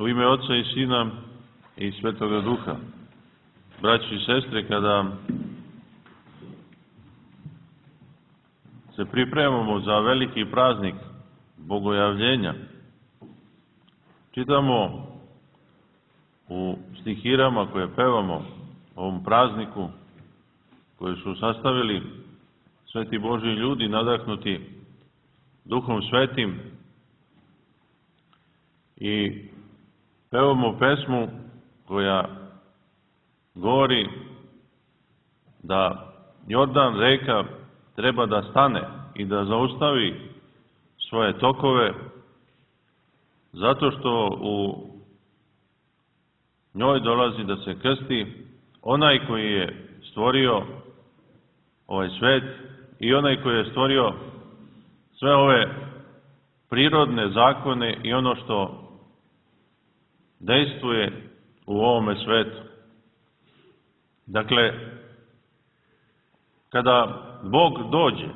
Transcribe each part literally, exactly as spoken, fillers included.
U ime Oca i Sina i Svetoga Duha. Braći i sestre, kada se pripremamo za veliki praznik Bogojavljenja, čitamo u stihirama koje pevamo ovom prazniku, koje su sastavili sveti Božji ljudi, nadahnuti Duhom Svetim, i pevamo pesmu koja govori da Jordan, reka, treba da stane i da zaustavi svoje tokove, zato što u njoj dolazi da se krsti onaj koji je stvorio ovaj svet i onaj koji je stvorio sve ove prirodne zakone i ono što dejstvuje u ovome svetu. Dakle, kada Bog dođe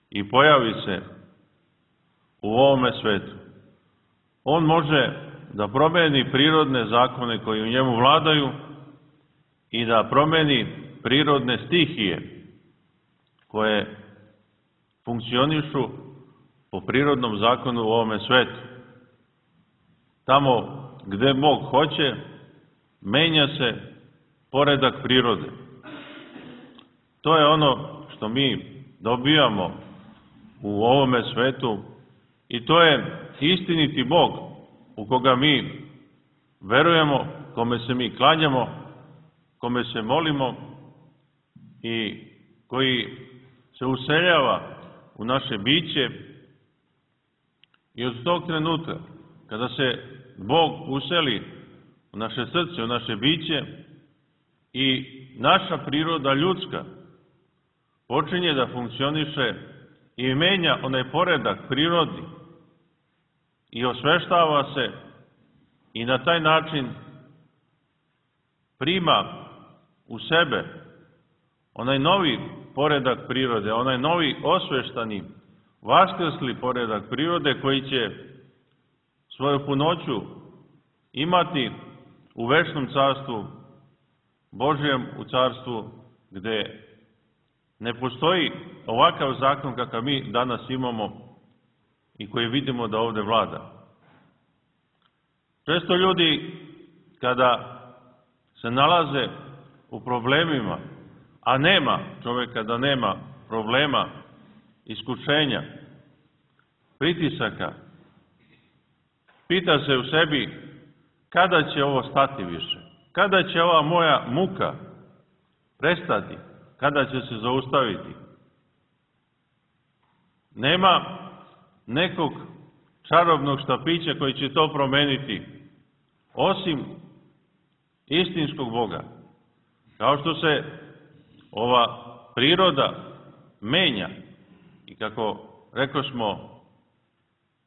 i pojavi se u ovome svetu, On može da promeni prirodne zakone koji u njemu vladaju i da promeni prirodne stihije koje funkcionišu po prirodnom zakonu u ovome svetu. Tamo gde Bog hoće, menja se poredak prirode. To je ono što mi dobijamo u ovome svetu i to je istiniti Bog u koga mi verujemo, kome se mi klanjamo, kome se molimo i koji se useljava u naše biće. I od tog trenutka, kada se Bog useli u naše srce, u naše biće, i naša priroda ljudska počinje da funkcioniše i menja onaj poredak prirodni i osveštava se i na taj način prima u sebe onaj novi poredak prirode, onaj novi osveštani, vaskrsli poredak prirode koji će svoju punoću imati u večnom carstvu Božjem, u carstvu gde ne postoji ovakav zakon kakav mi danas imamo i koji vidimo da ovde vlada. Često ljudi, kada se nalaze u problemima, a nema čoveka da nema problema, iskušenja, pritisaka, pita se u sebi kada će ovo stati više, kada će ova moja muka prestati, kada će se zaustaviti. Nema nekog čarobnog štapića koji će to promeniti, osim istinskog Boga. Kao što se ova priroda menja i kako rekosmo,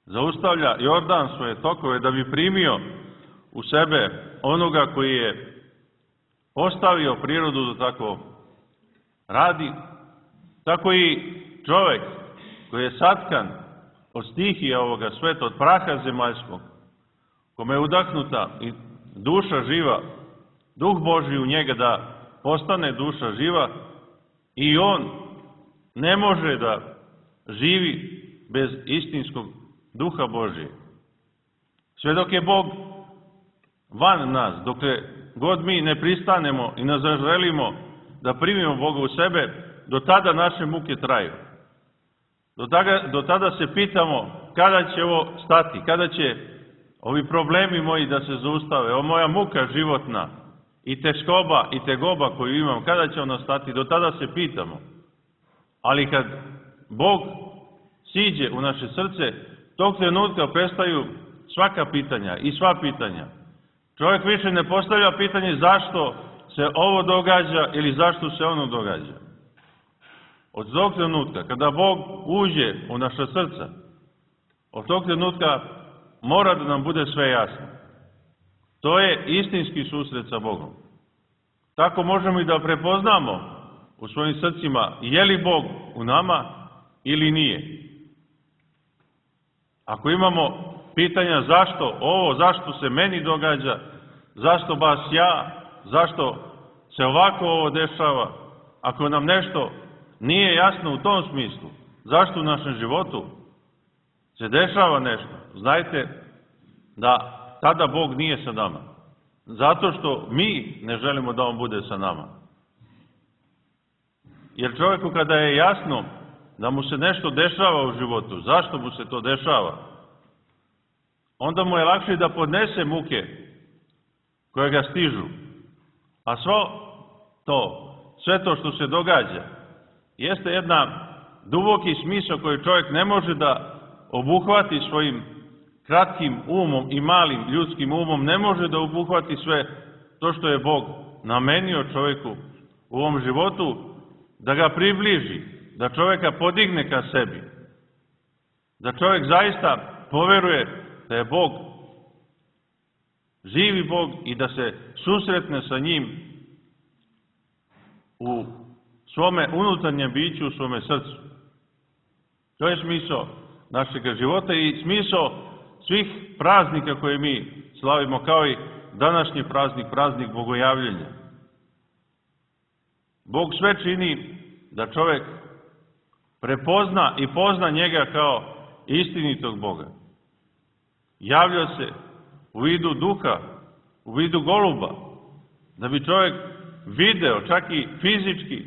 zaustavlja Jordan svoje tokove da bi primio u sebe onoga koji je postavio prirodu da tako radi, tako i čovek koji je satkan od stihija ovoga sveta, od praha zemaljskog, kome je udahnuta i duša živa, Duh Božji u njega da postane duša živa, i on ne može da živi bez istinskog Duha Božije. Sve dok je Bog van nas, dokle god mi ne pristanemo i ne zaželimo da primimo Boga u sebe, do tada naše muke traju. Do tada, do tada se pitamo kada će ovo stati, kada će ovi problemi moji da se zaustave, ovo moja muka životna i teškoba i tegoba koju imam, kada će ona stati, do tada se pitamo. Ali kad Bog siđe u naše srce, tog trenutka prestaju svaka pitanja i sva pitanja. Čovjek više ne postavlja pitanje zašto se ovo događa ili zašto se ono događa. Od tog trenutka, kada Bog uđe u naša srca, od tog trenutka mora da nam bude sve jasno. To je istinski susret sa Bogom. Tako možemo i da prepoznamo u svojim srcima je li Bog u nama ili nije. Ako imamo pitanja zašto ovo, zašto se meni događa, zašto baš ja, zašto se ovako ovo dešava, ako nam nešto nije jasno u tom smislu, zašto u našem životu se dešava nešto, znajte da tada Bog nije sa nama. Zato što mi ne želimo da On bude sa nama. Jer čovjeku kada je jasno da mu se nešto dešava u životu, zašto mu se to dešava, onda mu je lakše da podnese muke koje ga stižu. A svo to, sve to što se događa, jeste jedna duboki smisao koji čovjek ne može da obuhvati svojim kratkim umom i malim ljudskim umom, ne može da obuhvati sve to što je Bog namenio čovjeku u ovom životu, da ga približi, da čovjeka podigne ka sebi, da čovjek zaista poveruje da je Bog živi Bog i da se susretne sa njim u svome unutarnjem biću, u svome srcu. To je smisao našeg života i smisao svih praznika koje mi slavimo, kao i današnji praznik, praznik Bogojavljenja. Bog sve čini da čovjek prepozna i pozna njega kao istinitog Boga. Javlja se u vidu duha, u vidu goluba, da bi čovjek video, čak i fizički,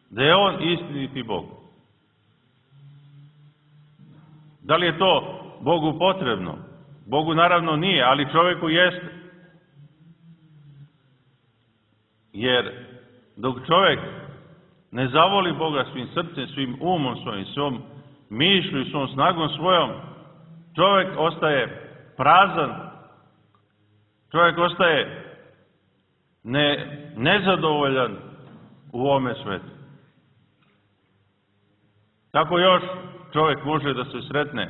da je on istiniti Bog. Da li je to Bogu potrebno? Bogu naravno nije, ali čovjeku jeste. Jer dok čovjek ne zavoli Boga svim srcem, svim umom svojim, svom mišlju i svom snagom svojom, čovjek ostaje prazan, čovjek ostaje ne, nezadovoljan u ovome svetu. Kako još čovjek može da se sretne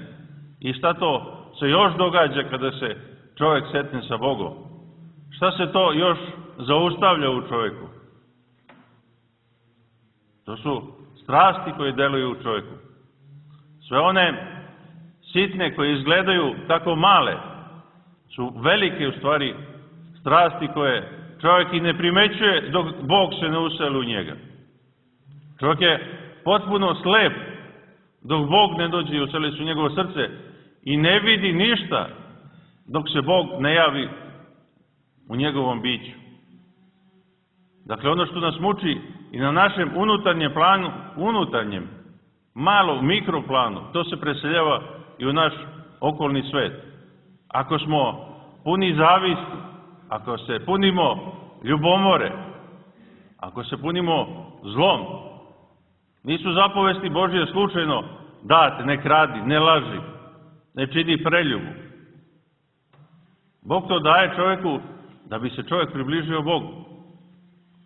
i šta to se još događa kada se čovjek sretne sa Bogom? Šta se to još zaustavlja u čovjeku? To su strasti koje deluju u čovjeku. Sve one sitne koje izgledaju tako male su velike u stvari strasti koje čovjek i ne primećuje dok Bog se ne useli u njega. Čovjek je potpuno slep dok Bog ne dođe i useli se u njegovo srce i ne vidi ništa dok se Bog ne javi u njegovom biću. Dakle, ono što nas muči i na našem unutarnjem planu, unutarnjem, malo mikroplanu, to se preseljava i u naš okolni svet. Ako smo puni zavisti, ako se punimo ljubomore, ako se punimo zlom, nisu zapovesti Božje slučajno date, ne kradi, ne laži, ne čini preljubu. Bog to daje čovjeku da bi se čovjek približio Bogu,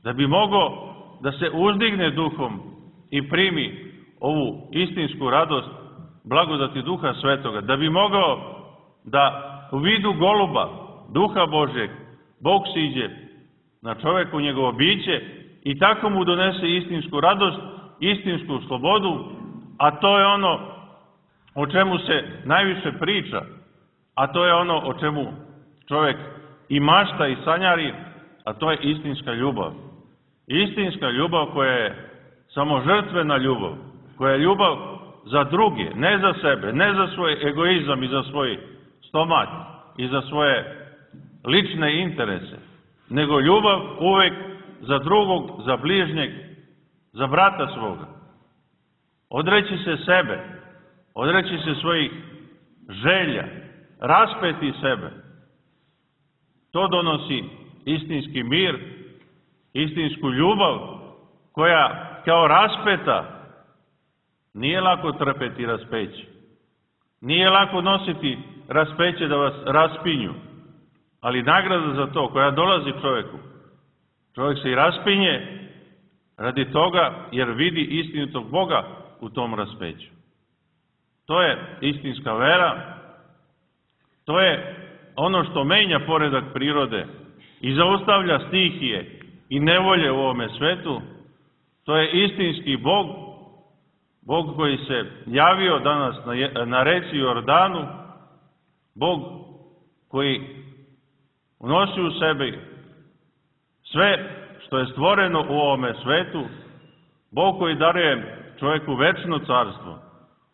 da bi mogao da se uzdigne duhom i primi ovu istinsku radost blagodati Duha Svetoga, da bi mogao da u vidu goluba, Duha Božjeg, Bog siđe na čovjeku njegovo biće i tako mu donese istinsku radost, istinsku slobodu, a to je ono o čemu se najviše priča, a to je ono o čemu čovjek i mašta i sanjari, a to je istinska ljubav. Istinska ljubav koja je samo žrtvena ljubav, koja je ljubav za druge, ne za sebe, ne za svoj egoizam i za svoj stomak i za svoje lične interese, nego ljubav uvek za drugog, za bližnjeg, za brata svoga. Odreći se sebe, odreći se svojih želja, raspeti sebe. To donosi istinski mir, istinsku ljubav, koja kao raspeta nije lako trpeti raspeće. Nije lako nositi raspeće da vas raspinju, ali nagrada za to koja dolazi čovjeku, čovjek se i raspinje radi toga jer vidi istinitog Boga u tom raspeću. To je istinska vera, to je ono što menja poredak prirode i zaustavlja stihije i nevolje u ovome svetu. To je istinski Bog, Bog koji se javio danas na, na reci Jordanu, Bog koji unosi u sebi sve što je stvoreno u ovome svetu, Bog koji daruje čovjeku večno carstvo,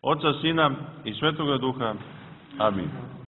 Oca, Sina i Svetoga Duha. Amin.